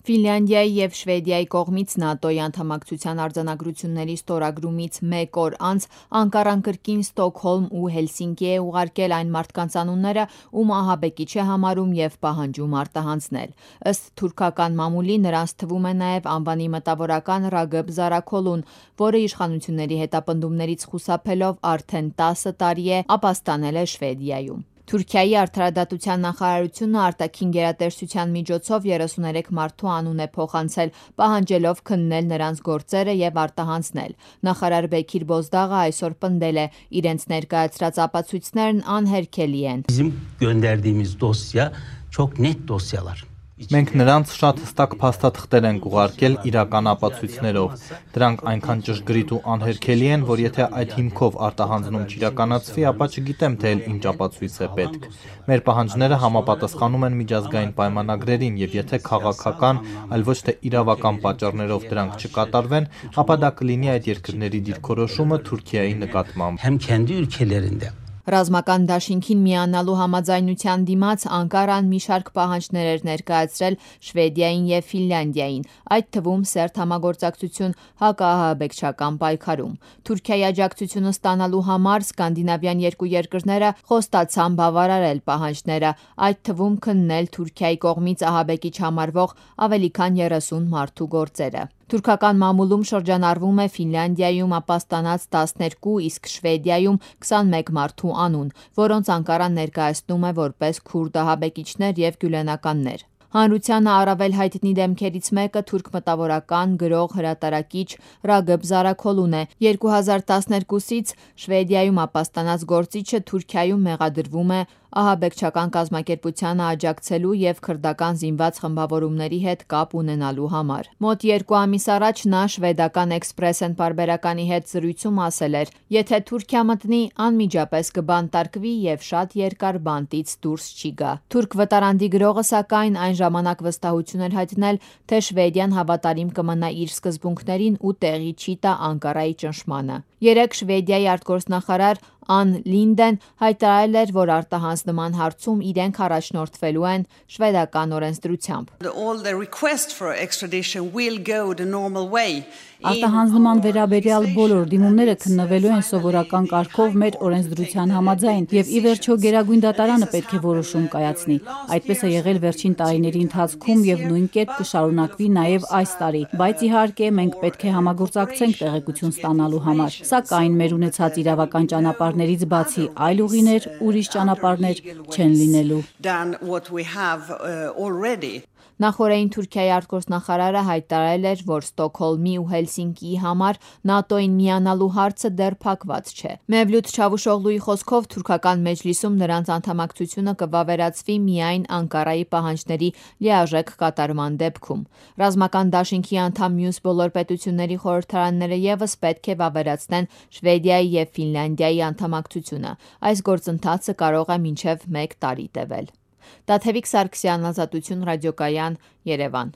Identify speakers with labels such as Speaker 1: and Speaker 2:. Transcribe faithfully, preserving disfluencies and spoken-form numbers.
Speaker 1: Ֆինլանդիայի և Շվեդիայի կողմից ՆԱՏՕ-ի անդամակցության արձանագրությունների ստորագրումից մեկ օր անց Անկարան կրկին Ստոկհոլմ ու Հելսինկի է ուղարկել այն մարդկանց անունները, ում ահաբեկիչ է համարում և պահանջում արտահանձնել։ Ըստ թուրքական մամուլի նրանց թվում է նաև անվանի մտավորական Ռագըբ Զարաքոլուն, որը իշխանությունների հետապնդումներից խուսափելով արդեն տասը տարի է ապաստանել է Շվեդիայում։ Թուրքիայի արդարադատության նախարարությունը արտաքին գերատեսչության միջոցով երեսուներեք մարդու անուն է փոխանցել, պահանջելով քննել նրանց գործերը և արտահանձնել։ Նախարար Բեքիր Բոզդաղը այսօր պնդել է՝ իրենց ներկայացրած ապացույցներն անհերքելի են։
Speaker 2: Bizim gönderdiğimiz dosya çok net dosyalar.
Speaker 3: Մենք նրանց շատ հստակ փաստաթղթեր ենք ուղարկել իրական ապացույցներով։ Դրանք այնքան ճշգրիտ ու անհերքելի են, որ եթե այդ հիմքով արտահանձնում չիրականացվի, ապա չգիտեմ, թե ինչ ապացույց է պետք։ Մեր պահանջները համապատասխանում են միջազգային պայմանագրերին, եւ եթե քաղաքական, այլ ոչ թե իրավական պատճառներով դրանք չկատարվեն, ապա դա կլինի այդ երկրների դիրքորոշումը Թուրքիայի նկատմամբ։
Speaker 2: Hem kendi ülkelerinde.
Speaker 1: Ռազմական դաշինքին միանալու համաձայնության դիմաց Անկարան մի շարք պահանջներ էր ներկայացրել Շվեդիային և Ֆինլանդիային, այդ թվում սերտ համագործակցություն հակաահաբեկչական պայքարում։ Թուրքիայի աջակցությունը ստանալու համար սկանդինավյան երկու երկրները խոստացան բավարարել պահանջները, այդ թվում քննել Թուրքիայի կողմից ահաբեկիչ համարվող ավելի քան երեսուն մարդու գործերը։ Թուրքական մամուլում շրջանառվում է Ֆինլանդիայում ապաստանած տասներկու, իսկ Շվեդիայում քսանմեկ մարդու անուն, որոնց Անկարան ներկայացնում է որպես քուրդ ահաբեկիչներ և գյուլենականներ։ Հանրությանը առավել հայտնի դեմքերից մեկը թուրք մտավորական, գրող, հրատարակիչ Ռագըբ Զարաքոլուն է։ երկու հազար տասներկուսից Շվեդիայում ապաստանած գործիչը Թուրքիայում մեղադրվում է ահաբեկչական կազմակերպությանը աջակցելու և քրդական զինված խմբավորումների հետ կապ ունենալու համար։ Մոտ երկու ամիս առաջ նա շվեդական Expressen պարբերականի հետ զրույցում ասել էր. «Եթե Թուրքիա մտնի, անմիջապես կբանտարկվի և շատ երկար բանտից դուրս չի գա»։ Թուրք վտարանդի գրողը սակայն այն ժամանակ վստահություն էր հայտնել, թե Շվեդիան հավատարիմ կմնա իր սկզբունքներին ու տեղի չի տա Անկարայի ճնշմանը։ Երեկ Շվեդիայի արտգործնախարար Ան Լինդեն հայտարարել էր, որ արտահանձնման հարցում իրենք առաջնորդվելու են շվեդական օրենսդրությամբ։
Speaker 4: Արտահանձնման վերաբերյալ բոլոր դիմումները քննվելու են սովորական կարգով մեր օրենսդրության համաձայն, եւ ի վերջո Գերագույն դատարանը պետք է որոշում կայացնի։ Այդպես է եղել վերջին տարիների ընթացքում եւ նույն կերպ կշարունակվի նաեւ այս տարի, բայց իհարկե մենք պետք է համագործակցենք տեղեկություն ստանալու համար։ Սակայն մեր ունեցած իրավական ճանապարհներից բացի այլ ուղիներ, ուրիշ ճանապարհներ չեն լինելու։
Speaker 1: Նախորդին Թուրքիայի արտգործնախարարը հայտարարել էր, որ Ստոկհոլմի ու Հելսինկիի համար ՆԱՏՕ-ին միանալու հարցը դեռ փակված չէ։ Մևլութ Չավուշօղլուի խոսքով թուրքական մեջլիսում նրանց անդամակցությունը կվավերացվի միայն Անկարայի պահանջների լիարժեք կատարման դեպքում։ Ռազմական դաշինքի անդամ մյուս բոլոր պետությունների խորհրդարանները ևս պետք է վավերացնեն Շվեդիայի և Ֆինլանդիայի անդամակցությունը։ Այս գործընթացը կարող է մինչև մեկ տարի տևել։ Տաթևիկ Սարգսյան, Ազատություն ռադիոկայան, Երևան։